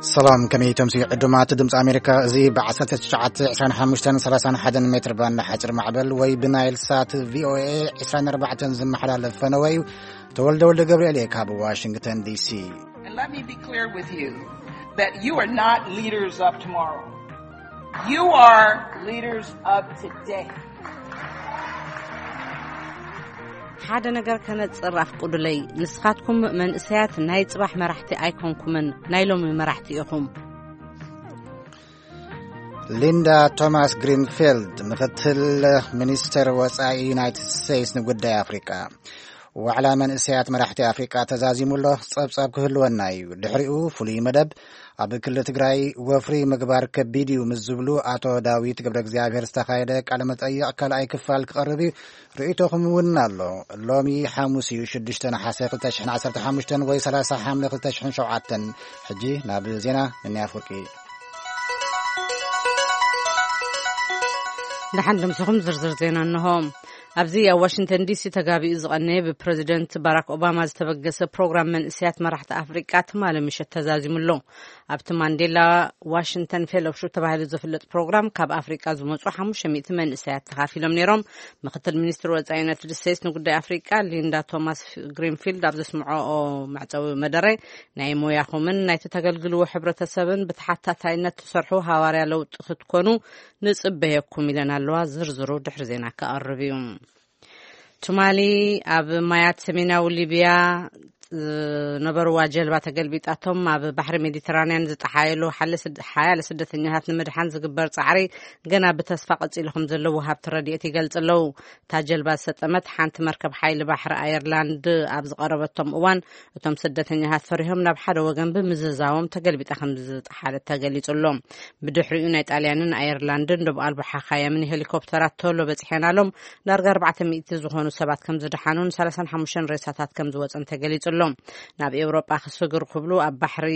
ሰላም፣ ከመይ ተምሲ ዕዱማት ድምፂ ኣሜሪካ? እዚ ብ1925-31 ሜትር ባንድ ሓፂር ማዕበል ወይ ብናይል ሳት ቪኦኤ 24 ዝመሓላለፍ ፈነወ እዩ። ተወልደ ወልደ ገብርኤል እየ ካብ ዋሽንግተን ዲሲ። And let me be clear with you that you are not leaders of tomorrow. You are leaders of today. ሓደ ነገር ከነጽር ኣፍቅዱለይ። ንስኻትኩም መንእሰያት ናይ ጽባሕ መራሕቲ ኣይኮንኩምን፣ ናይ ሎሚ መራሕቲ ኢኹም። ሊንዳ ቶማስ ግሪንፊልድ፣ ምኽትል ሚኒስተር ወጻኢ ዩናይትድ ስቴትስ ንጉዳይ ኣፍሪቃ። ዋዕላ መንእሰያት መራሕቲ ኣፍሪቃ ተዛዚሙ ኣሎ። ጸብጻብ ክህልወና እዩ። ድሕሪኡ ፍሉይ መደብ። ኣብ ክልል ትግራይ ወፍሪ ምግባር ከቢድ እዩ ምስ ዝብሉ ኣቶ ዳዊት ገብረ እግዚኣብሔር ዝተኻየደ ቃለ መጠይቕ ካልኣይ ክፋል ክቐርብ እዩ። ርእይቶኹም እውን ኣሎ። ሎሚ ሓሙስ እዩ፣ ሽዱሽተ ነሓሰ ክልተ ሽሕን ዓሰርተ ሓሙሽተን ወይ ሰላሳ ሓምለ ክልተ ሽሕን ሸውዓተን። ሕጂ ናብ ዜና። ንንያ ፍርቂ። ደሓን ድምስኹም ዝርዝር ዜና እንሆ። ኣብዚ ኣብ ዋሽንግተን ዲሲ ተጋቢኡ ዝቐነየ ብፕረዚደንት ባራክ ኦባማ ዝተበገሰ ፕሮግራም መንእሰያት መራሕቲ ኣፍሪቃ ትማሊ ምሸት ተዛዚሙ ኣሎ። ኣብቲ ማንዴላ ዋሽንግተን ፌሎውሺፕ ተባሂሉ ዝፍለጥ ፕሮግራም ካብ ኣፍሪቃ ዝመጹ ሓሙሽተ ሚእቲ መንእሰያት ተኻፊሎም ነይሮም። ምኽትል ሚኒስትር ወጻኢ ዩናይትድ ስቴትስ ንጉዳይ ኣፍሪቃ ሊንዳ ቶማስ ግሪንፊልድ ኣብ ዘስምዖ መዕጸዊ መደረ፣ ናይ ሞያኹምን ናይ ተገልግልዎ ሕብረተሰብን ብተሓታታይነት ትሰርሑ ሃዋርያ ለውጢ ክትኮኑ ንጽበየኩም ኢለን ኣለዋ። ዝርዝሩ ድሕሪ ዜና ክቐርብ እዩ። ትማሊ ኣብ ማያት ሰሜናዊ ሊብያ ዝነበርዋ ጀልባ ተገልቢጣቶም ኣብ ባሕሪ ሜዲተራንያን ዝጠሓየሉ ሓለ ስድ-፣ ሓያለ ስደተኛታት ንምድሓን ዝግበር ጻዕሪ ገና ብተስፋ ቀጺሉ ከም ዘሎ ወሃብቲ ረድኤት ይገልጽ ኣለዉ። እታ ጀልባ ዝሰጠመት ሓንቲ መርከብ ሓይሊ ባሕሪ ኣየርላንድ ኣብ ዝቐረበቶም እዋን፣ እቶም ስደተኛታት ፈሪሆም ናብ ሓደ ወገን ብምዝዛዎም ተገልቢጣ ከም ዝጠሓለት ተገሊጹ ኣሎ። ብድሕሪኡ ናይ ጣልያንን ኣየርላንድን ዶብ ኣልቦ ሓኻየምን ሄሊኮፕተራት ቶሎ በጺሐን ኣሎም። ዳርጋ ኣርባዕተ ሚእቲ ዝኾኑ ሰባት ከም ዝደሓኑን ሰላሳን ሓሙሽተን ሬሳታት ከም ዝወጸን ተገሊጹ ኣሎ። ናብ ኤውሮጳ ክስግር ክብሉ ኣብ ባሕሪ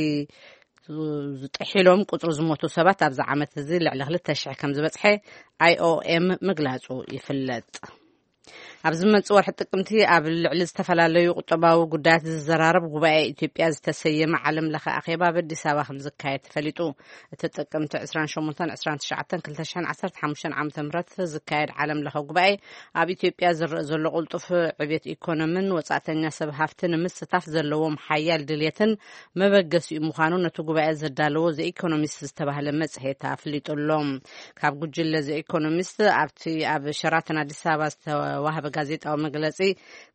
ዝጥሒሎም ቁጽሪ ዝሞቱ ሰባት ኣብዚ ዓመት እዚ ልዕሊ ክልተ ሽሕ ከም ዝበጽሐ ኣይ ኦ ኤም ምግላጹ ይፍለጥ። ኣብ ዝመጽእ ወርሒ ጥቅምቲ ኣብ ልዕሊ ዝተፈላለዩ ቁጠባዊ ጉዳያት ዝዘራረብ ጉባኤ ኢትዮጵያ ዝተሰየመ ዓለም ለኸ ኣኼባ ኣብ ኣዲስ ኣበባ ከም ዝካየድ ተፈሊጡ። እቲ ጥቅምቲ ዕስራን ሸሞንተን ዕስራን ትሽዓተን ክልተ ሽሕን ዓሰርተ ሓሙሽተን ዓመተ ምህረት ዝካየድ ዓለም ለኸ ጉባኤ ኣብ ኢትዮጵያ ዝረአ ዘሎ ቅልጡፍ ዕብየት ኢኮኖሚን ወጻእተኛ ሰብ ሃፍቲ ንምስታፍ ዘለዎም ሓያል ድልየትን መበገሲኡ ምዃኑ ነቲ ጉባኤ ዘዳለዎ ዘ ኢኮኖሚስት ዝተባህለ መጽሔት ኣፍሊጡ ኣሎ። ካብ ጉጅለ ዘ ኢኮኖሚስት ኣብቲ ኣብ ሸራተን ኣዲስ ኣበባ ዝተዋህበ ጋዜጣዊ መግለጺ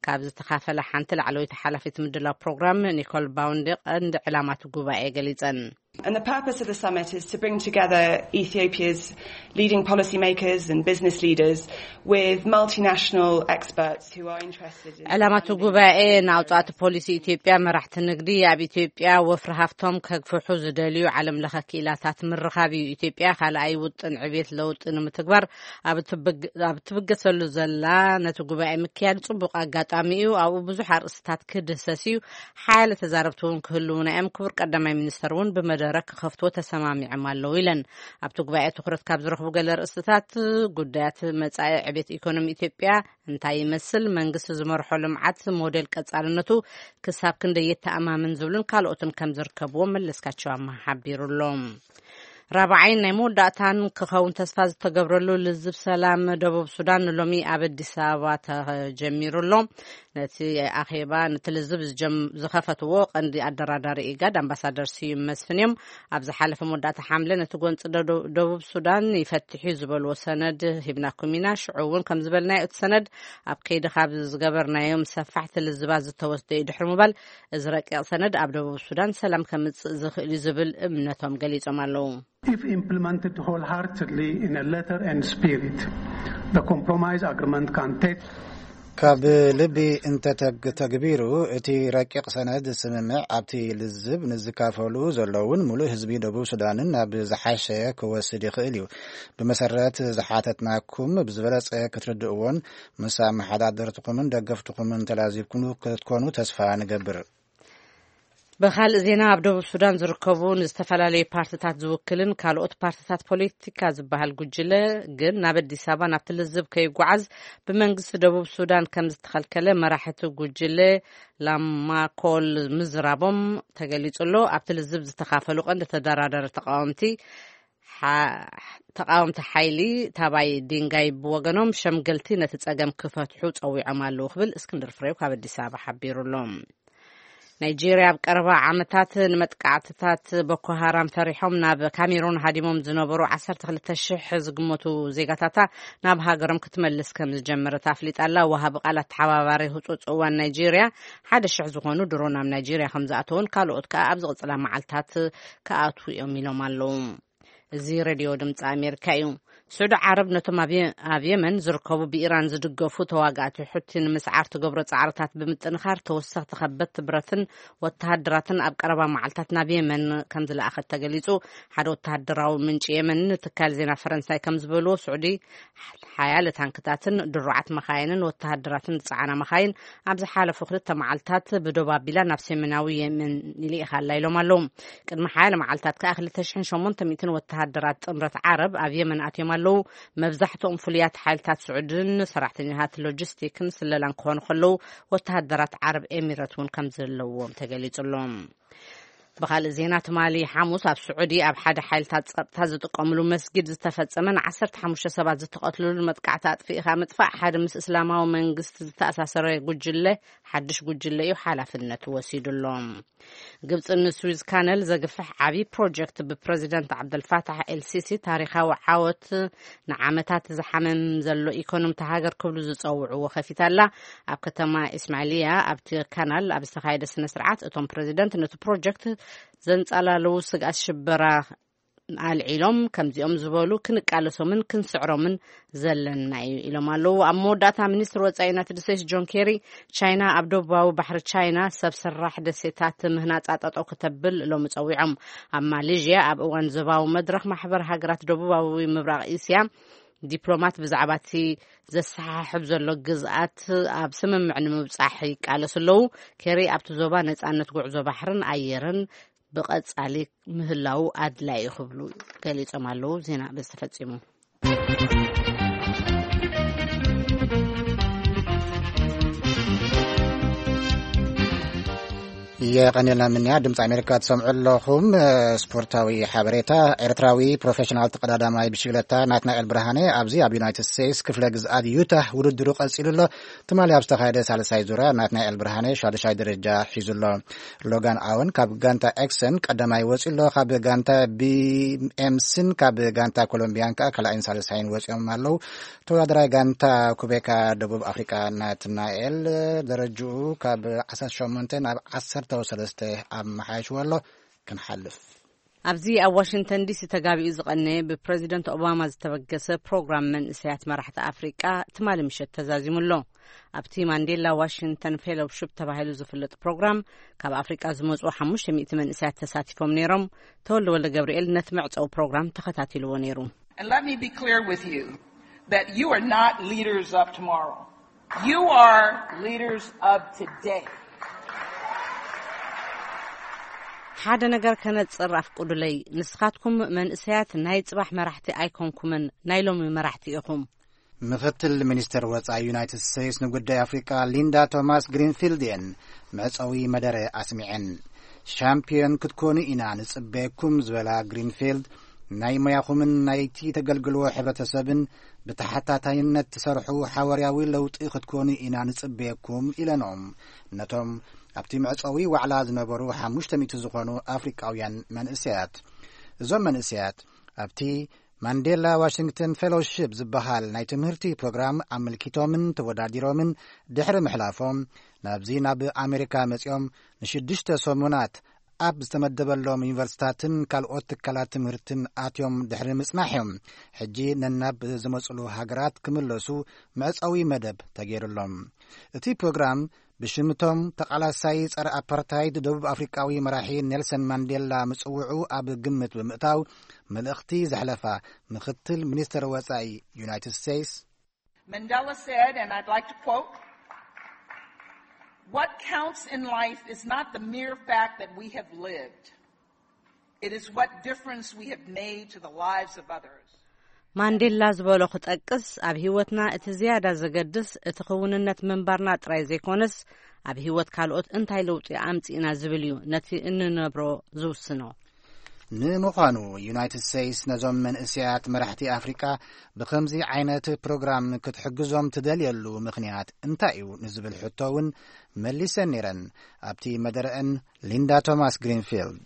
ካብ ዝተኻፈለ ሓንቲ ላዕለወይቲ ሓላፊት ምድላው ፕሮግራም ኒኮል ባውንዲ ቀንዲ ዕላማት ጉባኤ ገሊጸን። And the purpose of the summit is to bring together Ethiopia's leading policymakers and business leaders with multinational experts who are interested in ዕላማቱ ጉባኤ ንኣውጻእቲ ፖሊሲ ኢትዮጵያ፣ መራሕቲ ንግዲ ኣብ ኢትዮጵያ ወፍሪ ሃፍቶም ከግፍሑ ዝደልዩ ዓለም ለኸ ክኢላታት ምርኻብ እዩ። ኢትዮጵያ ካልኣይ ውጥን ዕብየት ለውጢ ንምትግባር ኣብ ትብግ-፣ ኣብ ትብገሰሉ ዘላ ነቲ ጉባኤ ምክያድ ጽቡቕ ኣጋጣሚ እዩ። ኣብኡ ብዙሕ ኣርእስትታት ክድህሰስ እዩ። ሓያለ ተዛረብቲ እውን ክህልዉና እዮም። ክቡር ቀዳማይ ሚኒስተር እውን ብመደረ ክኸፍትዎ ተሰማሚዖም ኣለዉ ኢለን። ኣብቲ ጉባኤ ትኹረት ካብ ዝረኽቡ ገለ ርእስትታት ጉዳያት መጻኢ ዕቤት ኢኮኖሚ ኢትዮጵያ እንታይ ይመስል፣ መንግስቲ ዝመርሖ ልምዓት ሞዴል ቀጻልነቱ ክሳብ ክንደይ የተኣማምን ዝብሉን ካልኦትን ከም ዝርከብዎም መለስካቸው ኣማሃ ሓቢሩ ኣሎ። ራብዓይን ናይ መወዳእታን ክኸውን ተስፋ ዝተገብረሉ ልዝብ ሰላም ደቡብ ሱዳን ንሎሚ ኣብ ኣዲስ ኣበባ ተጀሚሩ ኣሎ። ነቲ ኣኼባ፣ ነቲ ልዝብ ዝጀም-፣ ዝኸፈትዎ ቀንዲ ኣደራዳሪ ኢጋድ ኣምባሳደር ስዩም መስፍን እዮም። ኣብ ዝሓለፈ መወዳእታ ሓምለ ነቲ ጎንፂ ደዶ-፣ ደቡብ ሱዳን ይፈትሕ እዩ ዝበልዎ ሰነድ ሂብናኩም ኢና። ሽዑ እውን ከም ዝበልናዮ እቲ ሰነድ ኣብ ከይዲ ካብ ዝገበርናዮም ሰፋሕቲ ልዝባት ዝተወስደ እዩ ድሕሪ ምባል፣ እዚ ረቂቕ ሰነድ ኣብ ደቡብ ሱዳን ሰላም ከምፅእ ዝኽእል እዩ ዝብል እምነቶም ገሊፆም ኣለዉ። If implemented wholeheartedly in a letter and spirit, the compromise agreement can take ካብ ልቢ እንተተግ-፣ ተግቢሩ፣ እቲ ረቂቕ ሰነድ ስምምዕ ኣብቲ ልዝብ ንዝካፈሉ ዘለውን ሙሉእ ህዝቢ ደቡብ ሱዳንን ናብ ዝሓሸ ክወስድ ይኽእል እዩ። ብመሰረት ዝሓተትናኩም ብዝበለጸ ክትርድእዎን ምስ ኣመሓዳደርትኹምን ደገፍትኹምን ተላዚብኩም ክትኮኑ ተስፋ ንገብር። ብኻልእ ዜና፣ ኣብ ደቡብ ሱዳን ዝርከቡ ንዝተፈላለዩ ፓርትታት ዝውክልን ካልኦት ፓርትታት ፖለቲካ ዝበሃል ጉጅለ ግን ናብ ኣዲስ ኣበባ ናብቲ ልዝብ ከይጓዓዝ ብመንግስቲ ደቡብ ሱዳን ከም ዝተኸልከለ መራሕቲ ጉጅለ ላማኮል ምዝራቦም ተገሊጹ ኣሎ። ኣብቲ ልዝብ ዝተኻፈሉ ቀንዲ ተደራዳሪ ተቃወምቲ ሓ-፣ ተቃወምቲ ሓይሊ ታባይ ዲንጋይ ብወገኖም ሸምገልቲ ነቲ ጸገም ክፈትሑ ጸዊዖም ኣለዉ ክብል እስክንድር ፍሬው ካብ ኣዲስ ኣበባ ሓቢሩ ኣሎ። ናይጄርያ ኣብ ቀረባ ዓመታት ንመጥቃዕትታት ቦኮ ሃራም ፈሪሖም ናብ ካሜሩን ሃዲሞም ዝነበሩ ዓሰርተ ክልተ ሽሕ ዝግመቱ ዜጋታታ ናብ ሃገሮም ክትመልስ ከም ዝጀመረት ኣፍሊጣ ኣላ። ወሃቢ ቃል ኣተሓባባሪ ህጹጽ እዋን ናይጄርያ ሓደ ሽሕ ዝኾኑ ድሮ ናብ ናይጄርያ ከም ዝኣተውን ካልኦት ከኣ ኣብ ዝቕጽላ መዓልታት ክኣትዉ እዮም ኢሎም ኣለዉ። እዚ ሬድዮ ድምፂ ኣሜሪካ እዩ። ስዑዲ ዓረብ ነቶም ኣብ የ-፣ ኣብ የመን ዝርከቡ ብኢራን ዝድገፉ ተዋጋእቲ ሑቲ ንምስዓር ትገብሮ ጻዕርታት ብምጥንኻር ተወሰኽቲ ከበድቲ ብረትን ወተሃደራትን ኣብ ቀረባ መዓልታት ናብ የመን ከም ዝለኣኸት ተገሊጹ። ሓደ ወተሃደራዊ ምንጪ የመን ንትካል ዜና ፈረንሳይ ከም ዝበልዎ፣ ስዑዲ ሓያለ ታንክታትን ድሩዓት መኻይንን ወተሃደራትን ዝጸዓና መኻይን ኣብ ዝሓለፉ ክልተ መዓልታት ብዶብ ኣቢላ ናብ ሰሜናዊ የመን ይልኢኻ ኣላ ኢሎም ኣለዉ። ቅድሚ ሓያለ መዓልታት ከኣ ክልተ ሽሕን ሸሞንተ ሚእትን ወተሃደራት ጥምረት ዓረብ ኣብ የመን ኣትዮም ኣለዉ። መብዛሕትኦም ፍሉያት ሓይልታት ስዑድን ሰራሕተኛታት ሎጂስቲክን ስለላን ክኾኑ ከለዉ፣ ወተሃደራት ዓረብ ኤሚረት እውን ከም ዘለዎም ተገሊጹ ኣሎ። ብኻልእ ዜና፣ ትማሊ ሓሙስ ኣብ ስዑዲ ኣብ ሓደ ሓይልታት ጸጥታ ዝጥቀምሉ መስጊድ ዝተፈጸመን ዓሰርተ ሓሙሽተ ሰባት ዝተቐትልሉ መጥቃዕቲ ኣጥፊእኻ ምጥፋእ ሓደ ምስ እስላማዊ መንግስቲ ዝተኣሳሰረ ጉጅለ፣ ሓድሽ ጉጅለ እዩ ሓላፍነቱ ወሲዱ ኣሎ። ግብጽ ንስዊዝ ካነል ዘግፍሕ ዓቢ ፕሮጀክት ብፕረዚደንት ዓብደልፋታሕ ኤልሲሲ ታሪኻዊ ዓወት፣ ንዓመታት ዝሓመም ዘሎ ኢኮኖሚ እታ ሃገር ክብሉ ዝጸውዕዎ ከፊታ ኣላ። ኣብ ከተማ ኢስማዒልያ ኣብቲ ካናል ኣብ ዝተኻየደ ስነ ስርዓት፣ እቶም ፕረዚደንት ነቲ ፕሮጀክት ዘንጸላለዉ ስግኣት ሽበራ ኣልዒሎም፣ ከምዚኦም ዝበሉ ክንቃለሶምን ክንስዕሮምን ዘለና እዩ ኢሎም ኣለዉ። ኣብ መወዳእታ፣ ሚኒስትር ወጻኢ ዩናይትድ ስቴትስ ጆን ኬሪ፣ ቻይና ኣብ ደቡባዊ ባሕሪ ቻይና ሰብ ሰራሕ ደሴታት ምህናጻ ጠጠው ከተብል ሎሚ ጸዊዖም። ኣብ ማሌዥያ ኣብ እዋን ዞባዊ መድረኽ ማሕበር ሃገራት ደቡባዊ ምብራቕ እስያ፣ ዲፕሎማት ብዛዕባ እቲ ዘሰሓሕብ ዘሎ ግዝኣት ኣብ ስምምዕ ንምብጻሕ ይቃለሱ ኣለዉ። ኬሪ ኣብቲ ዞባ ነጻነት ጉዕዞ ባሕርን ኣየርን ብቐጻሊ ምህላዉ ኣድላዪ እዩ ክብሉ ገሊጾም ኣለዉ። ዜና በዚ ተፈጺሙ። የቐንየልና ምንያ። ድምፂ ኣሜሪካ ትሰምዑ ኣለኹም። ስፖርታዊ ሓበሬታ። ኤርትራዊ ፕሮፌሽናል ተቐዳዳማይ ብሽግለታ ናትናኤል ብርሃነ ኣብዚ ኣብ ዩናይትድ ስቴትስ ክፍለ ግዝኣት ዩታ ውድድሩ ቀጺሉ ኣሎ። ትማሊ ኣብ ዝተኻየደ ሳልሳይ ዙርያ ናትናኤል ብርሃነ ሻዱሻይ ደረጃ ሒዙ ኣሎ። ሎጋን ኣወን ካብ ጋንታ ኤክሰን ቀዳማይ ወጺኡ ኣሎ። ካብ ጋንታ ቢኤምሲን ካብ ጋንታ ኮሎምቢያን ከኣ ካልኣይን ሳልሳይን ወጺኦም ኣለዉ። ተወዳዳራይ ጋንታ ኩቤካ ደቡብ ኣፍሪቃ ናትናኤል ደረጅኡ ካብ ዓሰርተ ሸሞንተ ናብ ዓሰርተ ሰለስተ ኣመሓይሽዎ ኣሎ። ክንሓልፍ ኣብዚ ኣብ ዋሽንግተን ዲሲ ተጋቢኡ ዝቐነየ ብፕረዚደንት ኦባማ ዝተበገሰ ፕሮግራም መንእሰያት መራሕቲ ኣፍሪቃ ትማሊ ምሸት ተዛዚሙ ኣሎ። ኣብቲ ማንዴላ ዋሽንግተን ፌሎውሺፕ ተባሂሉ ዝፍለጥ ፕሮግራም ካብ ኣፍሪቃ ዝመጹ ሓሙሽተ ሚእቲ መንእሰያት ተሳቲፎም ነይሮም። ተወልደ ወልደ ገብርኤል ነቲ መዕጸዊ ፕሮግራም ተኸታቲልዎ ነይሩ። And let me be clear with you that you are not leaders of tomorrow. You are leaders of today. ሓደ ነገር ከነጽር ኣፍቅዱለይ። ንስኻትኩም መንእሰያት ናይ ጽባሕ መራሕቲ ኣይኮንኩምን፣ ናይ ሎሚ መራሕቲ ኢኹም። ምኽትል ሚኒስትር ወጻኢ ዩናይትድ ስቴትስ ንጉዳይ ኣፍሪቃ ሊንዳ ቶማስ ግሪንፊልድ እየን መዕጸዊ መደረ ኣስሚዐን። ሻምፒዮን ክትኮኑ ኢና ንጽበየኩም ዝበላ ግሪንፊልድ፣ ናይ ሞያኹምን ናይቲ ተገልግልዎ ሕብረተሰብን ብተሓታታይነት ትሰርሑ ሓዋርያዊ ለውጢ ክትኮኑ ኢና ንጽበየኩም ኢለኖም ነቶም ኣብቲ መዕጸዊ ዋዕላ ዝነበሩ ሓሙሽተ ሚእቲ ዝኾኑ ኣፍሪቃውያን መንእሰያት። እዞም መንእሰያት ኣብቲ ማንዴላ ዋሽንግተን ፌሎውሺፕ ዝበሃል ናይ ትምህርቲ ፕሮግራም ኣመልኪቶምን ተወዳዲሮምን ድሕሪ ምሕላፎም፣ ናብዚ ናብ ኣሜሪካ መጺኦም ንሽዱሽተ ሰሙናት ኣብ ዝተመደበሎም ዩኒቨርሲታትን ካልኦት ትካላት ትምህርትን ኣትዮም ድሕሪ ምጽናሕ እዮም ሕጂ ነናብ ዝመጽሉ ሃገራት ክምለሱ መዕጸዊ መደብ ተገይሩሎም። እቲ ፕሮግራም ብሽምቶም ተቓላሳይ ጸረ ኣፓርታይድ ደቡብ ኣፍሪቃዊ መራሒ ኔልሰን ማንዴላ ምጽውዑ ኣብ ግምት ብምእታው፣ መልእኽቲ ዘሕለፋ ምኽትል ሚኒስትር ወጻኢ ዩናይትድ ስቴትስ፣ Mandela said, and I'd like to quote, What counts in life is not the mere fact that we have lived. It is what difference we have made to the lives of others. ማንዴላ ዝበሎ ክጠቅስ፣ ኣብ ህይወትና እቲ ዝያዳ ዘገድስ እቲ ክውንነት ምንባርና ጥራይ ዘይኮነስ፣ ኣብ ህይወት ካልኦት እንታይ ለውጢ ኣምጺእና ዝብል እዩ ነቲ እንነብሮ ዝውስኖ። ንምዃኑ፣ ዩናይትድ ስቴትስ ነዞም መንእሰያት መራሕቲ ኣፍሪቃ ብኸምዚ ዓይነት ፕሮግራም ክትሕግዞም ትደልየሉ ምኽንያት እንታይ እዩ ንዝብል ሕቶ እውን መሊሰን ነይረን። ኣብቲ መደረአን ሊንዳ ቶማስ ግሪንፊልድ።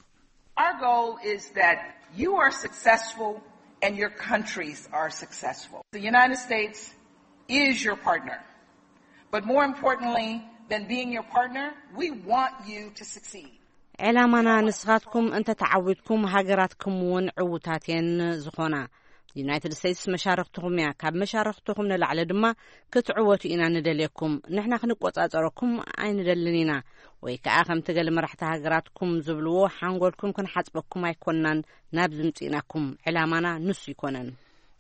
Our goal is that you are successful and your countries are successful. The United States is your partner. But more importantly than being your partner, we want you to succeed. ዕላማና ንስኻትኩም እንተተዓዊትኩም ሃገራትኩም እውን ዕውታት እየን ዝኾና። ዩናይትድ ስቴትስ መሻርኽትኹም እያ። ካብ መሻርኽትኹም ንላዕሊ ድማ ክትዕወቱ ኢና ንደልየኩም። ንሕና ክንቆጻጸረኩም ኣይንደልን ኢና። ወይ ከኣ ከምቲ ገለ መራሕቲ ሃገራትኩም ዝብልዎ ሓንጎልኩም ክንሓጽበኩም ኣይኮንናን ናብ ዝምጽእናኩም። ዕላማና ንሱ ይኮነን።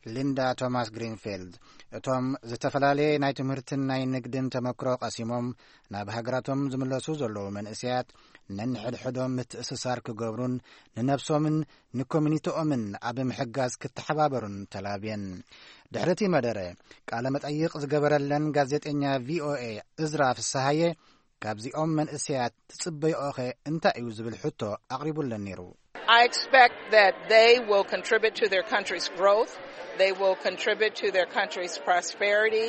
ሊንዳ ቶማስ ግሪንፊልድ። እቶም ዝተፈላለየ ናይ ትምህርትን ናይ ንግድን ተመክሮ ቀሲሞም ናብ ሃገራቶም ዝምለሱ ዘለዉ መንእሰያት ነንሕድሕዶም ምትእስሳር ክገብሩን ንነብሶምን ንኮሚኒቲኦምን ኣብ ምሕጋዝ ክተሓባበሩን ተላብየን። ድሕሪ እቲ መደረ ቃለ መጠይቕ ዝገበረለን ጋዜጠኛ ቪኦኤ እዝራ ፍስሃየ ካብዚኦም መንእሰያት ትጽበይኦኸ እንታይ እዩ ዝብል ሕቶ ኣቕሪቡለን ነይሩ። I expect that they will contribute to their country's growth. They will contribute to their country's prosperity,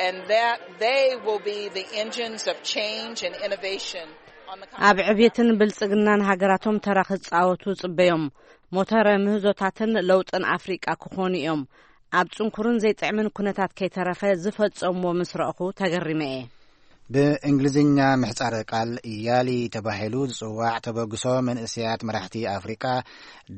and that they will be the engines of change and innovation on the continent. ኣብ ዕብየትን ብልጽግናን ሃገራቶም ተራ ክጻወቱ ጽበዮም። ሞተረ ምህዞታትን ለውጥን ኣፍሪቃ ክኾኑ እዮም። ኣብ ጽንኩርን ዘይጥዕምን ኩነታት ከይተረፈ ዝፈጸምዎ ምስ ረእኹ ተገሪመ እየ። ብእንግሊዝኛ ምሕጻረ ቃል ያሊ ተባሂሉ ዝጽዋዕ ተበግሶ መንእሰያት መራሕቲ ኣፍሪቃ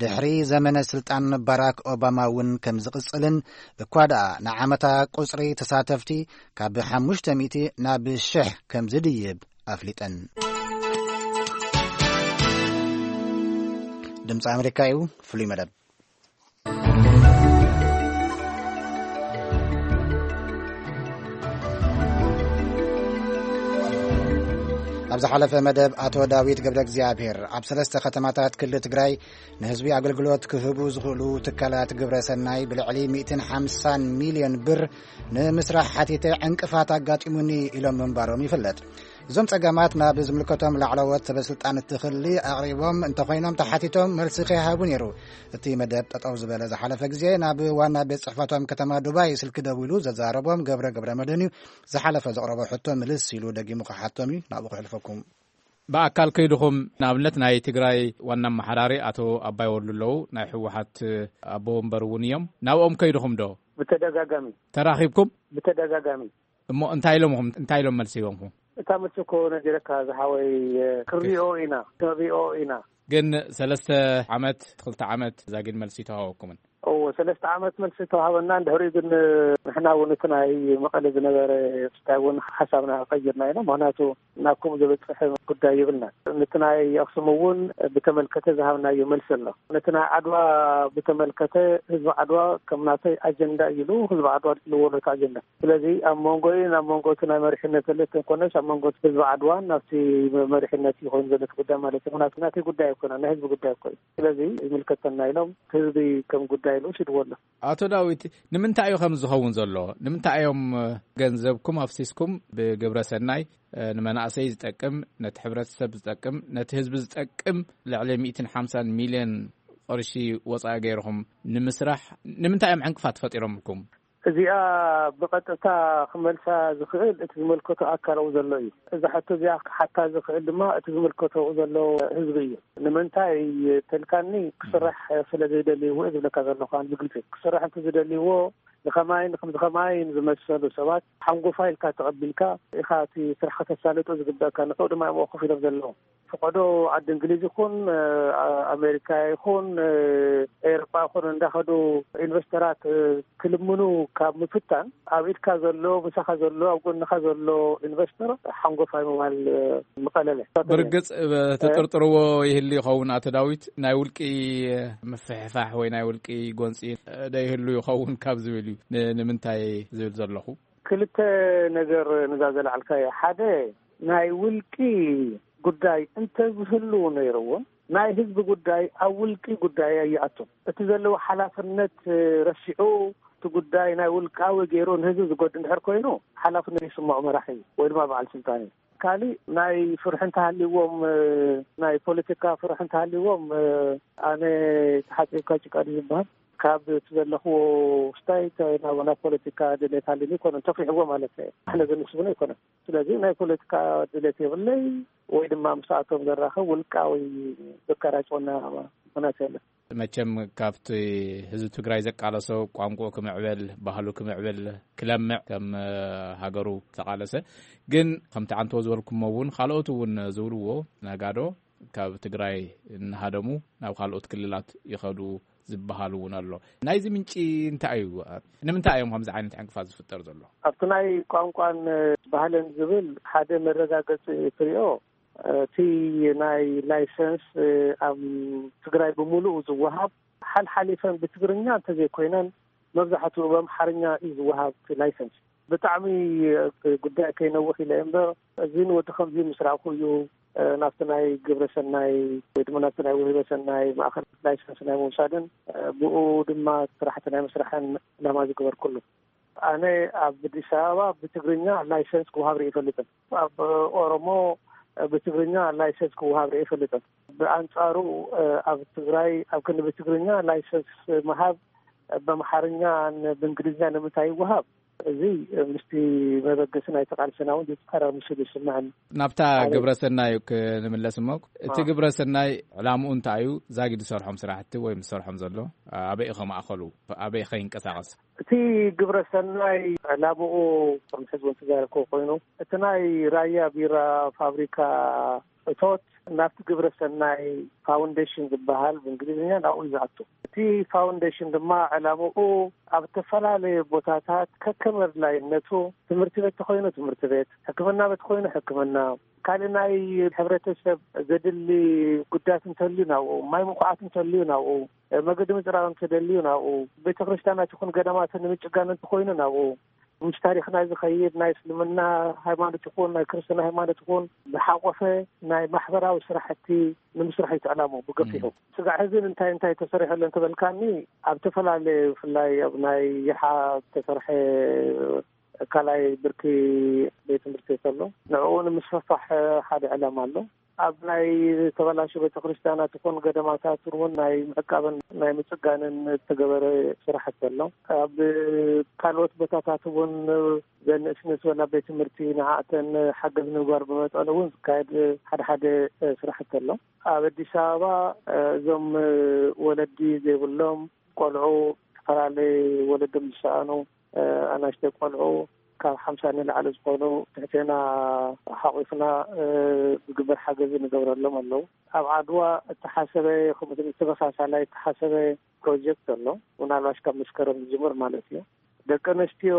ድሕሪ ዘመነ ስልጣን ባራክ ኦባማ እውን ከም ዝቕጽልን፣ እኳ ደኣ ንዓመታ ቁጽሪ ተሳተፍቲ ካብ ሓሙሽተ ሚእቲ ናብ ሽሕ ከም ዝድይብ ኣፍሊጠን። ድምፂ ኣሜሪካ እዩ። ፍሉይ መደብ። ኣብ ዝሓለፈ መደብ ኣቶ ዳዊት ገብረ እግዚኣብሔር ኣብ ሰለስተ ከተማታት ክልል ትግራይ ንህዝቢ ኣገልግሎት ክህቡ ዝኽእሉ ትካላት ግብረ ሰናይ ብልዕሊ ሚእትን ሓምሳን ሚልዮን ብር ንምስራሕ ሓቲተ ዕንቅፋት ኣጋጢሙኒ ኢሎም ምንባሮም ይፍለጥ። እዞም ጸገማት ናብ ዝምልከቶም ላዕለዎት ሰበስልጣን እቲ ክሊ ኣቕሪቦም እንተኾይኖም ተሓቲቶም መልሲ ከይሃቡ ነይሩ። እቲ መደብ ጠጠው ዝበለ ዝሓለፈ ግዜ ናብ ዋና ቤት ጽሕፈቶም ከተማ ዱባይ ስልኪ ደዊሉ ዘዛረቦም ገብረ ገብረ መድህን እዩ። ዝሓለፈ ዘቕረቦ ሕቶ ምልስ ኢሉ ደጊሙ ክሓቶም እዩ። ናብኡ ክሕልፈኩም። ብኣካል ከይድኹም ንኣብነት ናይ ትግራይ ዋና ኣመሓዳሪ ኣቶ ኣባይ ወልዱ ኣለዉ፣ ናይ ህወሓት ኣቦ ወንበር እውን እዮም። ናብኦም ከይድኹም ዶ? ብተደጋጋሚ። ተራኺብኩም? ብተደጋጋሚ። እሞ እንታይ ኢሎምኹም? እንታይ ኢሎም መልሲ ሂቦምኹም? እታ መልሲ እኮ ነጊረካ ዝሓወይ፣ ክንሪኦ ኢና፣ ክንሪኦ ኢና። ግን ሰለስተ ዓመት፣ ክልተ ዓመት ዛጊድ መልሲ ተዋሃበኩምን? እዎ፣ ሰለስተ ዓመት መልሲ ተዋሃበና። እንድሕሪኡ ግን ንሕና እውን እቲ ናይ መቐለ ዝነበረ ስታይ እውን ሓሳብና ቀይርና ኢና። ምኽንያቱ ናብ ከምኡ ዝበፅሐ ጉዳይ ይብልና። ነቲ ናይ ኣክሱም እውን ብተመልከተ ዝሃብናዮ መልሲ ኣሎ። ነቲ ናይ ዓድዋ ብተመልከተ ህዝቢ ዓድዋ ከም ናተይ ኣጀንዳ እዩ ኢሉ ህዝቢ ዓድዋ ኣልዒልዎ ነቲ ኣጀንዳ። ስለዚ ኣብ መንጎ እዩ፣ ናብ መንጎ እቲ ናይ መሪሕነት ዘሎ እንተኮነስ ኣብ መንጎ ህዝቢ ዓድዋን ናብቲ መሪሕነት እዩ ኮይኑ ዘሎ እቲ ጉዳይ ማለት እዩ። ምኽንያቱ ናተይ ጉዳይ ኣይኮነን፣ ናይ ህዝቢ ጉዳይ እኮ እዩ። ስለዚ ይምልከተና ኢሎም ህዝቢ ከም ጉዳይ ኢሉ ወሲድዎ ኣሎ። ኣቶ ዳዊት፣ ንምንታይ እዩ ከም ዝኸውን ዘሎ? ንምንታይ እዮም ገንዘብኩም ኣፍሲስኩም ብግብረ ሰናይ ንመናእሰይ ዝጠቅም፣ ነቲ ሕብረተሰብ ዝጠቅም፣ ነቲ ህዝቢ ዝጠቅም ልዕሊ ሚእትን ሓምሳን ሚልዮን ቅርሺ ወጻኢ ገይርኹም ንምስራሕ ንምንታይ እዮም ዕንቅፋት ፈጢሮምልኩም? እዚኣ ብቐጥታ ክመልሳ ዝኽእል እቲ ዝመልከቶ ኣካል ኣብኡ ዘሎ እዩ። እዛ ሕቶ እዚኣ ክሓታ ዝኽእል ድማ እቲ ዝምልከቶ ኣብኡ ዘሎ ህዝቢ እዩ። ንምንታይ ተልካኒ፣ ክስራሕ ስለ ዘይደልይዎ እዩ ዝብለካ ዘለኹ። ኣነ ብግልፂ ክስራሕ እንተ ዝደልይዎ ንኸማይን ንከምዚ ከማይን ዝመሰሉ ሰባት ሓንጎፋ ኢልካ ተቐቢልካ ኢኻ እቲ ስራሕ ከተሳልጦ ዝግበእካ። ንዕኡ ድማ እዮም ኮፍ ኢሎም ዘለዉ። ፈቐዶ ዓዲ እንግሊዝ ይኹን፣ እ፣ ኣሜሪካ ይኹን፣ እ፣ ኤውሮጳ ይኹን እንዳኸዱ ኢንቨስተራት፣ እ፣ ክልምኑ ካብ ምፍታን ኣብ ኢድካ ዘሎ፣ ምሳኻ ዘሎ፣ ኣብ ጎንኻ ዘሎ ኢንቨስተር ሓንጎፋይ ምባል፣ እ፣ ምቐለለ። ብርግጽ፣ እ፣ ትጥርጥርዎ ይህሉ ይኸውን ኣቶ ዳዊት፣ ናይ ውልቂ ምፍሕፋሕ ወይ ናይ ውልቂ ጎንጺ፣ እ፣ ዶ ይህሉ ይኸውን ካብ ዝብል እዩ ን-፣ ንምንታይ ዝብል ዘለኹ። ክልተ ነገር ንዛ ዘልዓልካዮ። ሓደ ናይ ውልቂ ጉዳይ እንተዝህሉ ነይርዎ፣ ናይ ህዝቢ ጉዳይ ኣብ ውልቂ ጉዳይ ኣይኣቱን። እቲ ዘለዎ ሓላፍነት ረሲዑ፣ እቲ ጉዳይ ናይ ውልቃዊ ገይሩ ንህዝቢ ዝጎድ እንድሕር ኮይኑ፣ ሓላፍነት ይስምዖ መራሒ ወይ ድማ በዓል ስልጣን እዩ። ካሊእ ናይ ፍርሒ እንተሃልይዎም፣ ናይ ፖለቲካ ፍርሒ እንተሃልይዎም፣ ኣነ ተሓጺብካ ጭቃ ድዩ ዝበሃል፣ ካብ እቲ ዘለኽዎ ውስታይ ናብ፣ ናብ ፖለቲካ ድሌት ሃልዩኒ ኣይኮነን ተፍሪሕዎ ማለት እዩ። ኣነ ዘንስብኖ ኣይኮነን። ስለዚ ናይ ፖለቲካ ድሌት የብለይ፣ ወይ ድማ ምስኣቶም ዘራኽብ ውልቃዊ ዘቀራጭወና ምኽንያት የለን። መቸም ካብቲ ህዝቢ ትግራይ ዘቃለሶ፣ ቋንቋኡ ክምዕብል፣ ባህሉ ክምዕብል፣ ክለምዕ፣ ከም ሃገሩ ተቃለሰ። ግን ከምቲ ዓንቶ ዝበልኩሞ እውን፣ ካልኦት እውን ዝብልዎ፣ ነጋዶ ካብ ትግራይ እናሃደሙ ናብ ካልኦት ክልላት ይኸዱ ዝበሃል እውን ኣሎ። ናይዚ ምንጪ እንታይ እዩ? ንምንታይ እዮም ከምዚ ዓይነት ዕንቅፋት ዝፍጠር ዘሎ? ኣብቲ ናይ ቋንቋን ባህልን ዝብል ሓደ መረጋገፂ ትሪኦ፣ እቲ ናይ ላይሰንስ ኣብ ትግራይ ብምሉኡ ዝወሃብ፣ ሓልሓሊፈን ብትግርኛ እንተዘይኮይነን፣ መብዛሕትኡ ብኣምሓርኛ እዩ ዝወሃብ እቲ ላይሰንስ። ብጣዕሚ ጉዳይ ከይነውሕ ኢለ እምበር፣ እዚ ንወዲ ከምዚ ምስ ረኣኹ እዩ፣ ናብቲ ናይ ግብረ ሰናይ ወይ ድማ ናብቲ ናይ ውህበ ሰናይ ማእኸል ላይሰንስ ናይ ምውሳድን፣ ብኡ ድማ ስራሕቲ ናይ ምስራሕን ዕላማ ዝገበርኩሉ። ኣነ ኣብ ኣዲስ ኣበባ ብትግርኛ ላይሰንስ ክወሃብ ርኢ ይፈልጥን። ኣብ ኦሮሞ ብትግርኛ ላይሰንስ ክወሃብ ርኢ ይፈልጥን። ብኣንጻሩ ኣብ ትግራይ ኣብ ክንዲ ብትግርኛ ላይሰንስ ምሃብ፣ በምሓርኛ፣ ብእንግሊዝኛ ንምንታይ ይወሃብ? እዚ ምስቲ መበገሲ ናይቲ ቃልስና እውን ዝጻረር ምስሉ ይስምዐኒ። ናብታ ኣበይ? ግብረ ሰናይ ክንምለስ እሞ፣ እቲ ኣዎ። ግብረ ሰናይ ዕላምኡ እንታይ እዩ? ዛጊድ ዝሰርሖም ስራሕቲ ወይ ዝሰርሖም ዘሎ ኣበይ እዩ ከማእኸሉ? ኣበይ ከይንቀሳቐስ? እቲ ግብረ ሰናይ ዕላምኡ፣ ከም ሕዚ እውን ተዛረብክዎ ኮይኑ፣ እቲ ናይ ራያ ቢራ ፋብሪካ እቶት ናብቲ ግብረ ሰናይ ፋውንዴሽን ዝበሃል ብእንግሊዝኛ ናብኡ እዩ ዝኣቱ። እቲ ፋውንዴሽን ድማ ዕላምኡ ኣብ ዝተፈላለዩ ቦታታት ከከም ኣድላይነቱ፣ ትምህርቲ ቤት ተኾይኑ ትምህርቲ ቤት፣ ሕክምና ቤት ኮይኑ ሕክምና፣ ካልእ ናይ ሕብረተሰብ ዘድሊ ጉዳት እንተልዩ ናብኡ፣ ማይ ምኹዓት እንተልዩ ናብኡ፣ መገዲ ምጽራግ እንተደልዩ ናብኡ፣ ቤተ ክርስቲያናት ይኹን ገዳማት ንምጭጋን እንተኾይኑ ናብኡ፣ ምስ ታሪኽና ዝኸይድ ናይ እስልምና ሃይማኖት ይኹን ናይ ክርስትና ሃይማኖት ይኹን ዝሓቆፈ ናይ ማሕበራዊ ስራሕቲ ንምስራሕ እዩ ዕላምኡ ብገፊሑ። እም። ስጋዕ ሕዚ እንታይ እንታይ ተሰሪሑ ኣሎ እንተበልካኒ፣ ኣብ ዝተፈላለዩ ብፍላይ ኣብ ናይ ይሓ ዝተሰርሐ ካልኣይ ብርኪ ቤት ትምህርቲ ኣሎ። ንዕኡ ንምስፍፋሕ ሓደ ዕላማ ኣሎ። ኣብ ናይ ዝተበላሹ ቤተክርስትያናት ይኹን ገዳማታት እውን ናይ ምዕቃብን ናይ ምጽጋንን ዝተገበረ ስራሕቲ ኣሎ። ኣብ ካልኦት ቦታታት እውን ዘንእስ ንስበላ ቤት ትምህርቲ ንዓእተን ሓገዝ ንምግባር ብመጠኑ እውን ዝካየድ ሓደ ሓደ ስራሕቲ ኣሎ። ኣብ ኣዲስ ኣበባ እዞም ወለዲ ዘይብሎም ቆልዑ፣ ዝተፈላለዩ ወለዶም ዝሰኣኑ ኣናሽተይ ቆልዑ ካብ ሓምሳ ንላዕሊ ዝኾኑ ትሕቴና ሓቑፍና ዝግበር ሓገዝ ንገብረሎም ኣለዉ። ኣብ ዓድዋ እተሓሰበ ከምኡ ተመሳሳላይ እተሓሰበ ፕሮጀክት ኣሎ። ምናልባሽ ካብ መስከረም ዝጅምር ማለት እዩ። ደቂ ኣንስትዮ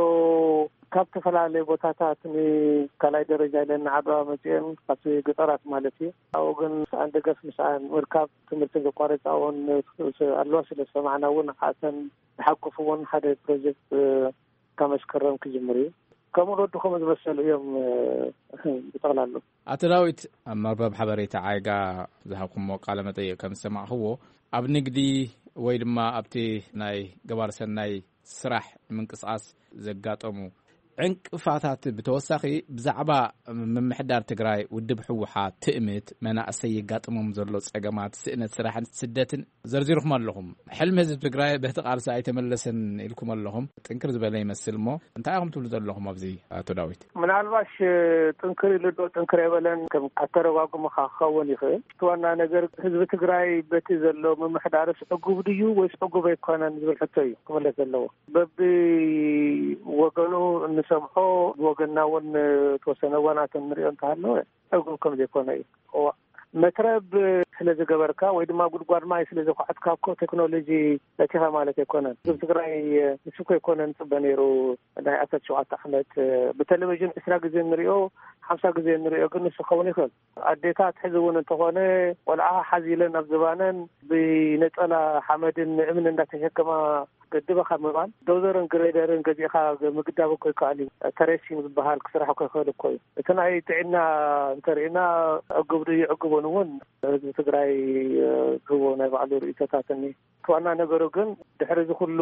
ካብ ዝተፈላለዩ ቦታታት ንካልኣይ ደረጃ ኢለን ንዓድዋ መፅአን ካብቲ ገጠራት ማለት እዩ። ኣብኡ ግን ምስኣን ደገፍ ምስኣን ምርካብ ትምህርቲ ዘቋረፃ እውን ኣለዋ። ስለ ዝሰማዕና እውን ንዓተን ዝሓቁፍ እውን ሓደ ፕሮጀክት ካብ መስከረም ክጅምር እዩ። ከምኡ ወዱ ከምኡ ዝመሰሉ እዮም ብጠቕላሉ። ኣቶ ዳዊት፣ ኣብ መርበብ ሓበሬታ ዓይጋ ዝሃብኩሞ ቃለ መጠይቕ ከም ዝሰማዕኽዎ፣ ኣብ ንግዲ ወይ ድማ ኣብቲ ናይ ገባር ሰናይ ስራሕ ንምንቅስቓስ ዘጋጠሙ ዕንቅፋታት ብተወሳኺ ብዛዕባ ምምሕዳር ትግራይ ውድብ ህወሓት ትእምት መናእሰይ የጋጥሞም ዘሎ ጸገማት ስእነት ስራሕን ስደትን ዘርዚርኩም ኣለኹም። ሕልሚ ህዝቢ ትግራይ በቲ ቃልሲ ኣይተመለሰን ኢልኩም ኣለኹም። ጥንክር ዝበለ ይመስል እሞ እንታይ ኢኹም ትብሉ ዘለኹም ኣብዚ ኣቶ ዳዊት? ምናልባሽ ጥንክር ኢሉ ዶ ጥንክር የበለን ከም ኣተረጓጉምኻ ክኸውን ይኽእል። እቲ ዋና ነገር ህዝቢ ትግራይ በቲ ዘሎ ምምሕዳርስ ዕጉብ ድዩ ወይስ ዕጉብ ኣይኮነን ዝብል ሕቶ እዩ ክምለስ ዘለዎ። በቢ ወገኑ እንሰምዖ፣ ብወገንና እውን ተወሰነ እዋናት እንሪኦ እንተሃለወ ዕጉብ ከም ዘይኮነ እዩ። እዋ፣ መትረብ ስለ ዝገበርካ ወይ ድማ ጉድጓድ ማይ ስለ ዘኳዕትካ እኮ ቴክኖሎጂ በቲኻ ማለት ኣይኮነን። ህዝቢ ትግራይ ንሱ እኮ ኣይኮነ ንፅበ ነይሩ። ናይ ዓሰርተ ሸውዓተ ዓመት ብቴሌቪዥን ዕስራ ግዜ እንሪኦ ሓምሳ ግዜ ንሪኦ፣ ግን ንሱ ክኸውን ይኽእል። ኣዴታት ሕዚ እውን እንተኾነ ቆልዓ ሓዚለን ኣብ ዝባነን ብነጸላ ሓመድን እምን እንዳተሸከማ ገድበ ካብ ምባል ዶዘርን ግሬደርን ገዚእኻ ምግዳብ እኮ ይከኣል እዩ። ተሬሲንግ ዝበሃል ክስራሕ እኮ ይኽእል እኮ እዩ። እቲ ናይ ጥዕና እንተሪእና ዕጉብ ድዩ ዕጉቡን እውን ህዝቢ ትግራይ ዝህቦ ናይ ባዕሉ ርእይቶታት እኒ ዋና ነገሩ ግን ድሕሪ እዚ ኩሉ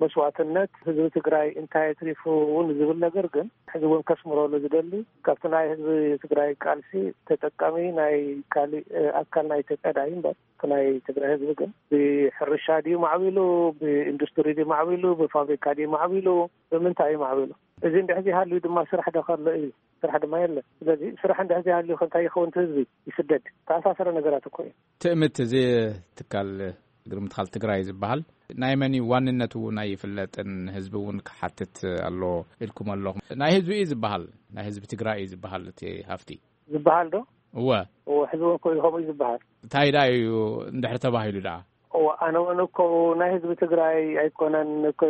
መስዋእትነት ህዝቢ ትግራይ እንታይ ኣትሪፉ እውን ዝብል ነገር ግን ሕዚ እውን ከስምረሉ ዝደሊ ካብቲ ናይ ህዝቢ ትግራይ ቃልሲ ተጠቃሚ ናይ ካሊእ ኣካል ናይ ኢትዮጵያ ዳይ እምበር እቲ ናይ ትግራይ ህዝቢ ግን ብሕርሻ ድዩ ማዕቢሉ፣ ብኢንዱስትሪ ድዩ ማዕቢሉ፣ ብፋብሪካ ድዩ ማዕቢሉ፣ ብምንታይ እዩ ማዕቢሉ? እዚ እንድሕር ዘይሃልዩ ድማ ስራሕ ዶ ከሎ እዩ? ስራሕ ድማ የለን። ስለዚ ስራሕ እንድሕር ዘይሃልዩ ከ እንታይ ይኸውን? እቲ ህዝቢ ይስደድ። ተኣሳሰረ ነገራት እኮ እዩ። ትእምት እዚ ትካል እግሪ ምትኻል ትግራይ ዝበሃል ናይ መን እዩ ዋንነቱ እውን ኣይፍለጥን፣ ህዝቢ እውን ክሓትት ኣሎ ኢልኩም ኣለኹም። ናይ ህዝቢ እዩ ዝበሃል፣ ናይ ህዝቢ ትግራይ እዩ ዝበሃል እቲ ሃፍቲ። ዝበሃል ዶ? እወ። እወ፣ ሕዚ እውን እኮ እዩ ከምኡ እዩ ዝበሃል። እንታይ ደኣ እዩ እንድሕር ተባሂሉ ደኣ? እወ፣ ኣነ እውን እኮ ናይ ህዝቢ ትግራይ ኣይኮነን እኮ፣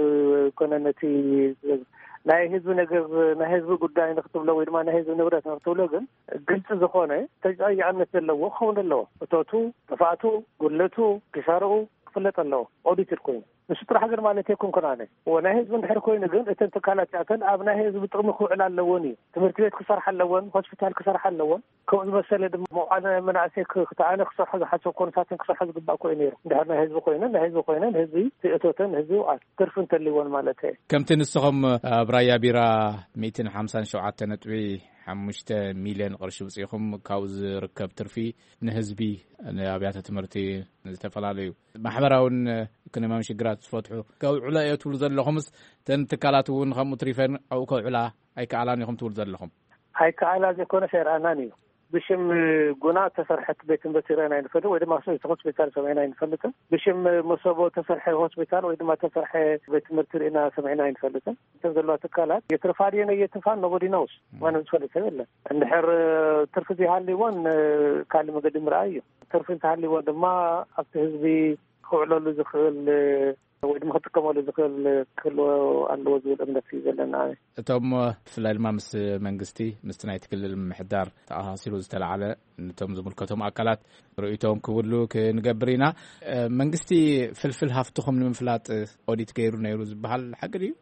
ኣይኮነን እቲ ናይ ህዝቢ ነገር፣ ናይ ህዝቢ ጉዳይ ንክትብሎ ወይ ድማ ናይ ህዝቢ ንብረት ንክትብሎ ግን ግልፂ ዝኾነ ተጠያቂነት ዘለዎ ክኸውን ኣለዎ። እቶቱ፣ ጥፍኣቱ፣ ጉድለቱ፣ ኪሳርኡ ክፍለጥ ኣለዎ። ኦዲትድ ኮይኑ ንሱ ጥራሕ ግን ማለት ኣይኮንኩን ኣነ። እወ፣ ናይ ህዝቢ እንድሕር ኮይኑ ግን እተን ትካላት እዚኣተን ኣብ ናይ ህዝቢ ጥቕሚ ክውዕላ ኣለዎን እዩ። ትምህርቲ ቤት ክሰርሓ ኣለዎን፣ ሆስፒታል ክሰርሓ ኣለዎን፣ ከምኡ ዝመሰለ ድማ መውዓለ መናእሰይ ክ-፣ ክተኣነ ክሰርሖ ዝሓሰብ ኮንሳትን ክሰርሖ ዝግባእ እኮ እዩ ነይሩ። እንድሕር ናይ ህዝቢ ኮይነን፣ ናይ ህዝቢ ኮይነን፣ ህዝቢ እቶተን፣ ህዝቢ ይውዓል። ትርፊ እንተልይዎን ማለት እየ። ከምቲ ንስኹም ኣብ ራያ ቢራ ሚእትን ሓምሳን ሸውዓተ ነጥቢ ሓሙሽተ ሚልዮን ቅርሺ ውፅኢኹም፣ ካብኡ ዝርከብ ትርፊ ንህዝቢ፣ ንኣብያተ ትምህርቲ፣ ንዝተፈላለዩ ማሕበራውን ኢኮኖሚያውን ሽግራት ዝፈትሑ ከውዕሎ እየ ትብሉ ዘለኹምስ፣ እተን ትካላት እውን ከምኡ ትሪፈን ኣብኡ ከውዕላ ኣይከኣላን ኢኹም ትብሉ ዘለኹም? ኣይከኣላ ዘይኮነስ ኣይረኣናን እዩ። ብሽም ጉና ተሰርሐት ቤት ትምህርቲ ርአና ኣይንፈልጥ፣ ወይ ድማ ሆስፒታል ሰሚዕና ኣይንፈልጥን። ብሽም መሰቦ ተሰርሐ ሆስፒታል ወይ ድማ ተሰርሐ ቤት ትምህርቲ ርኢና ሰሚዕና ኣይንፈልጥን። እተን ዘለዋ ትካላት የትርፋ ድየን ኣየትርፋን ኖቦዲ ኖውስ፣ ማንም ዝፈልጥ ሰብ የለን። እንድሕር ትርፊ ዘይሃልይዎን ካልእ መገዲ ምርኣይ እዩ። ትርፊ እንተሃልይዎን ድማ ኣብቲ ህዝቢ ክውዕለሉ ዝኽእል ወይ ድማ ክጥቀመሉ ዝኽእል ክህልዎ ኣለዎ ዝብል እምነት እዩ ዘለና። እቶም ብፍላይ ድማ ምስ መንግስቲ፣ ምስቲ ናይቲ ክልል ምምሕዳር ተኣሳሲሩ ዝተላዕለ፣ ነቶም ዝምልከቶም ኣካላት ርእይቶም ክብሉ ክንገብር ኢና። መንግስቲ ፍልፍል ሃፍትኹም ንምፍላጥ ኦዲት ገይሩ ነይሩ ዝበሃል ሓቂ ድዩ?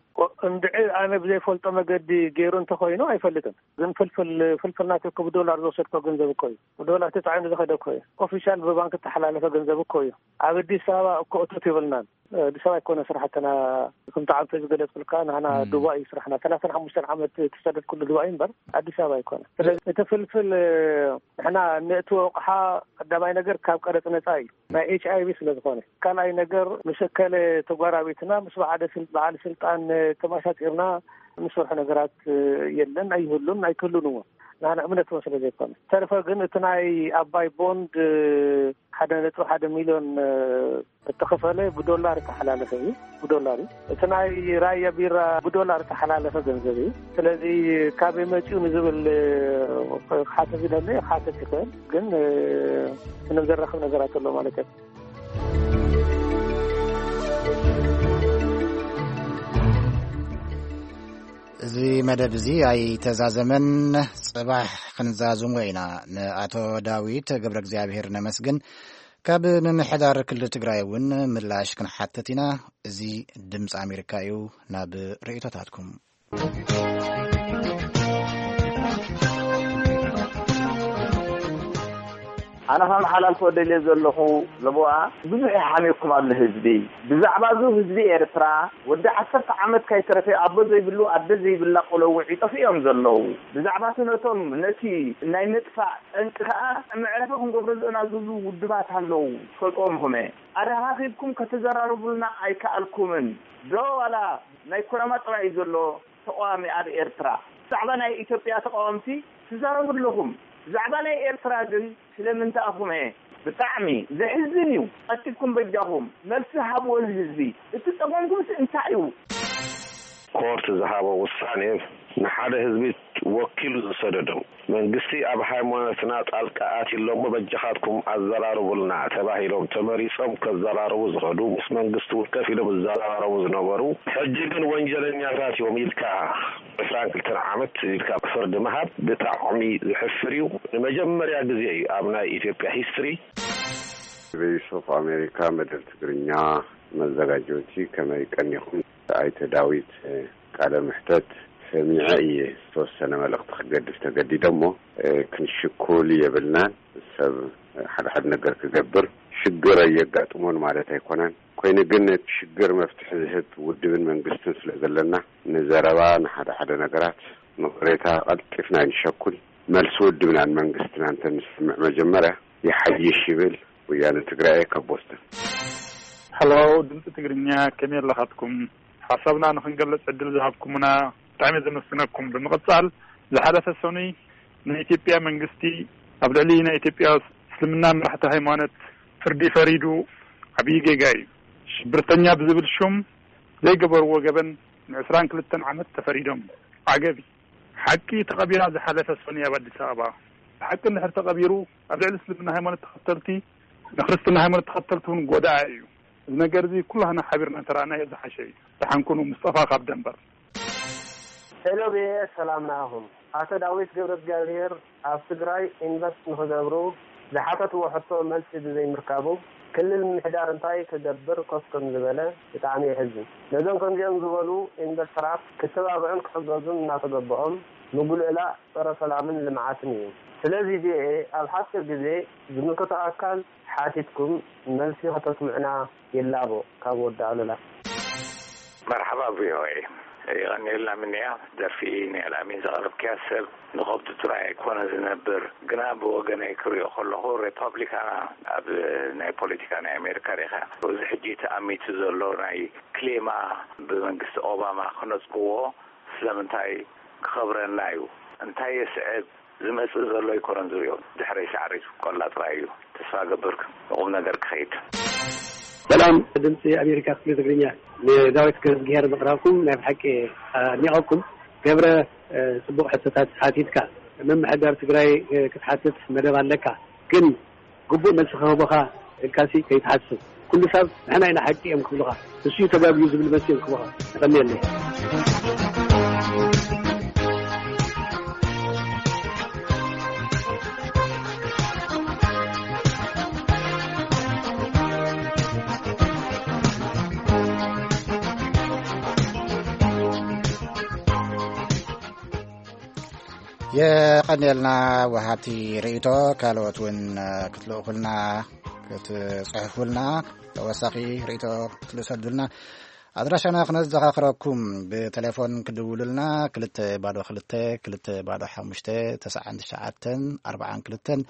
እንድዒ ኣነ ብዘይፈልጦ መገዲ ገይሩ እንተኾይኑ ኣይፈልጥን። ግን ፍልፍል፣ ፍልፍል ናትኩ ብዶላር ዝወሰድኮ ገንዘብ እኮ እዩ። ብዶላር ተጻዒኑ ዝኸደ እኮ እዩ። ኦፊሻል ብባንክ እተሓላለፈ ገንዘብ እኮ እዩ። ኣብ ኣዲስ ኣበባ እኮ እቶት የብልናን። ኣዲስ ኣበባ ኣይኮነ ስራሕትና። ከምቲ ዓንተ ዝገለጽኩልካ፣ ንሕና ዱባይ እዩ ስራሕና። ሰላሳን ሓሙሽተን ዓመት ተሰደድኩሉ ዱባይ እምበር ኣዲስ ኣበባ ኣይኮነ። ስለዚ እቲ ፍልፍል ንሕና ነእትዎ ኣቕሓ ቀዳማይ ነገር ካብ ቀረጽ ነጻ እዩ። ናይ ኤች ኣይ ቪ ስለ ዝኾነ። ካልኣይ ነገር ምስ እከለ ተጓራቢትና ምስ በዓለ ስል-፣ በዓል ስልጣን ተመሳጢርና ንሰርሖ ነገራት የለን፣ ኣይህሉን፣ ኣይክህሉን እውን። ንሕና እምነት እውን ስለ ዘይኮነ። ተርፈ ግን እቲ ናይ ኣባይ ቦንድ ሓደ ነጥቢ ሓደ ሚልዮን እተኸፈለ ብዶላር እተሓላለፈ እዩ። ብዶላር እዩ። እቲ ናይ ራያ ቢራ ብዶላር እተሓላለፈ ገንዘብ እዩ። ስለዚ ካበይ መፂኡ ንዝብል ክሓተት ዝደለ ክሓተት ይኽእል፣ ግን ምንም ዘራኽብ ነገራት ኣሎ ማለት እዩ። እዚ መደብ እዚ ኣይተዛዘመን። ጽባሕ ክንዛዝሞ ኢና። ንኣቶ ዳዊት ገብረ እግዚኣብሔር ነመስግን። ካብ ምምሕዳር ክልል ትግራይ እውን ምላሽ ክንሓትት ኢና። እዚ ድምፂ ኣሜሪካ እዩ። ናብ ርእይቶታትኩም። ኣነ ከመሓላልፎ ደልየ ዘለኹ፣ ለቦኣ፣ ብዙሕ ይሓሜኩም ኣሎ ህዝቢ። ብዛዕባ እዚ ህዝቢ ኤርትራ፣ ወዲ ዓሰርተ ዓመት ካይተረፈ ኣቦ ዘይብሉ ኣደ ዘይብላ ቆሎ ውዒ ጠፊኦም ዘለዉ። ብዛዕባ እቲ ነቶም ነቲ ናይ ምጥፋእ ጠንቂ ከኣ መዕረፊ ክንገብሮ ዝእናዘዙ ውድባት ኣለዉ፣ ትፈልጥዎም ኢኹም። ኣረኻኺብኩም ከተዘራርቡልና ኣይከኣልኩምን ዶ? ዋላ ናይ ኩናማ ጥራይ እዩ ዘሎ ተቃዋሚ ኣብ ኤርትራ? ብዛዕባ ናይ ኢትዮጵያ ተቃወምቲ ትዛረቡ ኣለኹም፣ ብዛዕባ ናይ ኤርትራ ግን ስለምንታይ ኢኹም? ብጣዕሚ ዘሕዝን እዩ። ቀልጢፍኩም በጃኹም መልሲ ሃብዎ ንህዝቢ። እቲ ጸገምኩምስ እንታይ እዩ? ኮርት ዝሃቦ ውሳኔ ንሓደ ህዝቢ ወኪሉ ዝሰደዶም። መንግስቲ ኣብ ሃይማኖትና ጣልቃ ኣትዩ ኣሎ እሞ በጃኻትኩም ኣዘራርቡልና ተባሂሎም ተመሪጾም ከዘራርቡ ዝኸዱ፣ ምስ መንግስቲ እውን ከፊሎም ዝዘራረቡ ዝነበሩ፣ ሕጂ ግን ወንጀለኛታት እዮም ኢልካ ዕስራን ክልተን ዓመት ኢልካ ፍርዲ ምሃብ ብጣዕሚ ዝሕፍር እዩ። ንመጀመርያ ግዜ እዩ ኣብ ናይ ኢትዮጵያ ሂስትሪ። ቮይስ ኦፍ ኣሜሪካ መደብ ትግርኛ መዘጋጀውቲ፣ ከመይ ቀኒኹም? ኣይተ ዳዊት፣ ቃለ ምሕተት ሰሚዐ እየ። ዝተወሰነ መልእኽቲ ክገድፍ ተገዲደ እሞ፣ ክንሽኩል የብልናን። ሰብ ሓደ ሓደ ነገር ክገብር ሽግር ኣየጋጥሞን ማለት ኣይኮነን። ኮይኑ ግን ነቲ ሽግር መፍትሒ ዝህብ ውድብን መንግስትን ስለ ዘለና፣ ንዘረባ፣ ንሓደ ሓደ ነገራት ንቕሬታ ቀልጢፍና ኣይንሸኩል። መልሲ ውድብናን መንግስትና እንተንሰምዕ መጀመርያ ይሓይሽ ይብል። ወያነ ትግራይ ካብ ቦስተን። ሀሎ፣ ድምፂ ትግርኛ፣ ከመይ ኣለኻትኩም? ሓሳብና ንኽንገልጽ ዕድል ዝሃብኩምና ብጣዕሚ ዘመስግነኩም። ብምቕጻል፣ ዝሓለፈ ሰኑይ ናይ ኢትዮጵያ መንግስቲ ኣብ ልዕሊ ናይ ኢትዮጵያ እስልምና መራሕቲ ሃይማኖት ፍርዲ ፈሪዱ፣ ዓብዪ ጌጋ እዩ። ሽብርተኛ ብዝብል ሹም ዘይገበርዎ ገበን ንዕስራን ክልተን ዓመት ተፈሪዶም። ዓገቢ። ሓቂ ተቐቢራ ዝሓለፈ ሰኑይ ኣብ ኣዲስ ኣበባ። ብሓቂ እንድሕር ተቐቢሩ፣ ኣብ ልዕሊ እስልምና ሃይማኖት ተኸተልቲ፣ ንክርስትና ሃይማኖት ተኸተልቲ እውን ጎዳኢ እዩ። እዚ ነገር እዚ ኩላህና ሓቢርና እንተረኣናዮ ዝሓሸ እዩ። ደሓን ኩኑ፣ ምስጠፋ ካብ ደንበር። ሄሎ ብኤ፣ ሰላም ንኣኹም። ኣቶ ዳዊት ገብረ እግዚኣብሔር ኣብ ትግራይ ኢንቨስት ንኽገብሩ ዝሓተትዎ ሕቶ መልሲ ብዘይምርካቡ፣ ክልል ምምሕዳር እንታይ ክገብር ኮፍ ከም ዝበለ ብጣዕሚ የሕዝን። ነዞም ከምዚኦም ዝበሉ ኢንቨስተራት ክተባብዑን ክሕገዙን እናተገበኦም፣ ምጉልእላ ጸረ ሰላምን ልምዓትን እዩ። ስለዚ ብኤ ኣብ ሓፂር ግዜ ዝምልከቶ ኣካል ሓቲትኩም መልሲ ከተስምዑና ይላቦ። ካብ ወዲ ኣሉላ። መርሓባ ቪኦኤ፣ የቐንየልና። ምንያ ደርፊ ናይ ኣልኣሚን ዘቕረብክያ ሰብ ንኸብዱ ጥራይ ኣይኮነ ዝነብር፣ ግና ብወገነይ ክሪኦ ከለኹ ሪፓብሊካና ኣብ ናይ ፖለቲካ ናይ ኣሜሪካ ሪኢኻ፣ እዚ ሕጂ ተኣሚቱ ዘሎ ናይ ክሌማ ብመንግስቲ ኦባማ ክነጽግዎ ስለምንታይ ክኸብረና እዩ? እንታይ የስዕብ? ዝመጽእ ዘሎ ኣይኮነን ዝሪኦ፣ ድሕረይ ሳዕሪ ዝብቆላ ጥራይ እዩ። ተስፋ ገብር ንቑም ነገር ክኸይድ። ሰላም ድምፂ ኣሜሪካ ክፍሊ ትግርኛ፣ ንዳዊት ገብረዝግሄር ምቕራብኩም ናይ ብሓቂ ኣድኒቐኩም። ገብረ፣ እ፣ ጽቡቕ ሕቶታት ሓቲትካ። ምምሕዳር ትግራይ፣ እ፣ ክትሓትት መደብ ኣለካ፣ ግን ግቡእ መልሲ ክህቡኻ ኢልካሲ ከይትሓስብ። ኩሉ ሰብ ንሕና ኢና ሓቂ እዮም ክብሉኻ፣ ንሱ እዩ ተጋግዩ ዝብል መልሲ እዮም ክህቡኻ። የቐንየለይ። የቐንየልና ወሃብቲ ርእይቶ። ካልኦት እውን ክትልእኹልና፣ ክትጽሕፉልና፣ ተወሳኺ ርእይቶ ክትልእሰዱልና ኣድራሻና ክነዘኻኽረኩም። ብቴሌፎን ክድውሉልና ክልተ ባዶ ክልተ፣ ክልተ ባዶ ሓሙሽተ፣ ተስዓን ትሽዓተን ኣርባዓን ክልተን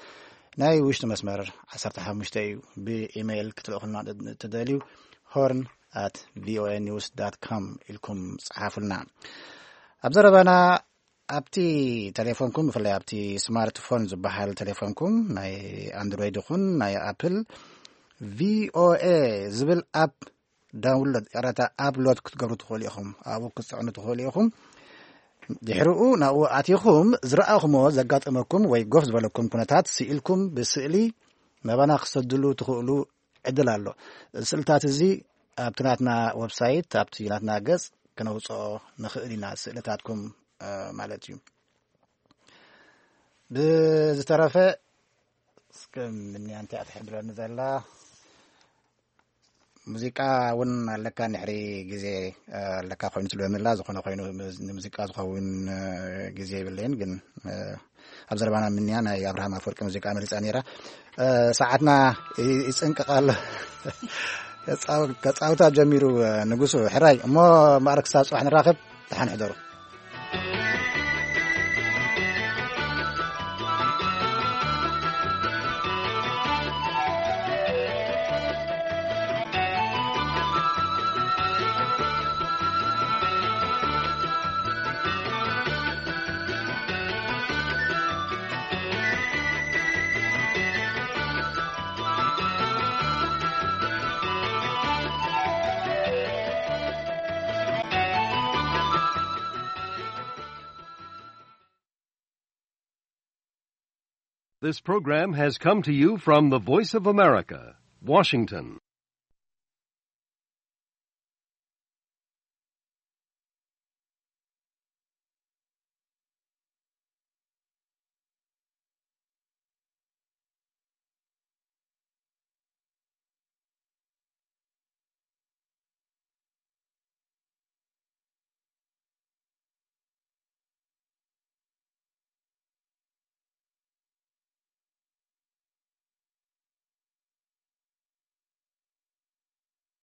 ናይ ውሽጢ መስመር ዓሰርተ ሓሙሽተ እዩ። ብኢሜይል ክትልእኹልና ትደልዩ ሆርን ኣት ቪኦኤ ኒውስ ዳት ኮም ኢልኩም ጸሓፉልና። ኣብ ዘረባና ኣብቲ ቴሌፎንኩም፣ ብፍላይ ኣብቲ ስማርትፎን ዝበሃል ቴሌፎንኩም፣ ናይ ኣንድሮይድ ይኹን ናይ ኣፕል፣ ቪኦኤ ዝብል ኣፕ ዳውንሎድ፣ ቀረታ ኣፕሎድ ክትገብሩ ትኽእሉ ኢኹም። ኣብኡ ክትጽዕኑ ትኽእሉ ኢኹም። ድሕሪኡ ናብኡ ኣቲኹም ዝረኣኹሞ፣ ዘጋጠመኩም ወይ ጎፍ ዝበለኩም ኩነታት ስኢልኩም ብስእሊ ናባና ክሰድሉ ትኽእሉ ዕድል ኣሎ። ስእልታት እዚ ኣብቲ ናትና ዌብሳይት፣ ኣብቲ ናትና ገጽ ክነውጽኦ ንኽእል ኢና፣ ስእልታትኩም፣ እ፣ ማለት እዩ። ብዝተረፈ እስከ ምንያ እንታይ እያ ትሕብረኒ ዘላ? ሙዚቃ እውን ኣለካ፣ ንሕሪ ግዜ፣ እ፣ ኣለካ ኮይኑ ትብለኒ ኣላ። ዝኾነ ኮይኑ፣ ንሙዚቃ ዝኸውን፣ እ፣ ግዜ የብለይን፣ ግን፣ እ፣ ኣብ ዘረባና ምንያ ናይ ኣብርሃም ኣፈወርቂ ሙዚቃ መሪጻ ነይራ። እ፣ ሰዓትና ይ-፣ ይጽንቅቕ ኣሎ። ከጻው-፣ ከጻውታ ጀሚሩ፣ እ፣ ንጉሱ። ሕራይ እሞ፣ ማዕረ ክሳብ ጽባሕ ንራኸብ። ደሓን ሕደሩ። This program has come to you from the Voice of America, Washington.